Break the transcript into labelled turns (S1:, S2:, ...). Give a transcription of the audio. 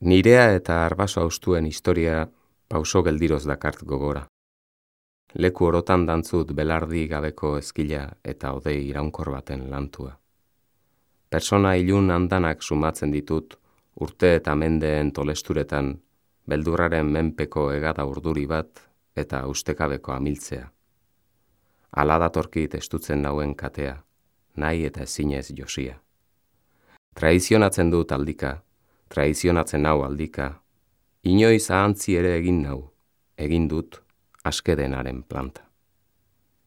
S1: Nirea eta arbaso haustuen historia pauso geldiroz dakart gogora. Leku orotan dantzut belardi gabeko ezkila eta odei iraunkor baten lantua. Persona ilun andanak sumatzen ditut urte eta mendeen tolesturetan beldurraren menpeko hegada urduri bat eta ustekabeko amiltzea. Hala datorkit estutzen nauen katea, nahi eta ezinez josia. Traizionatzen dut aldika, traizionatzen nau aldika, inoiz ahantzi ere egin nau, egin dut askedenaren planta.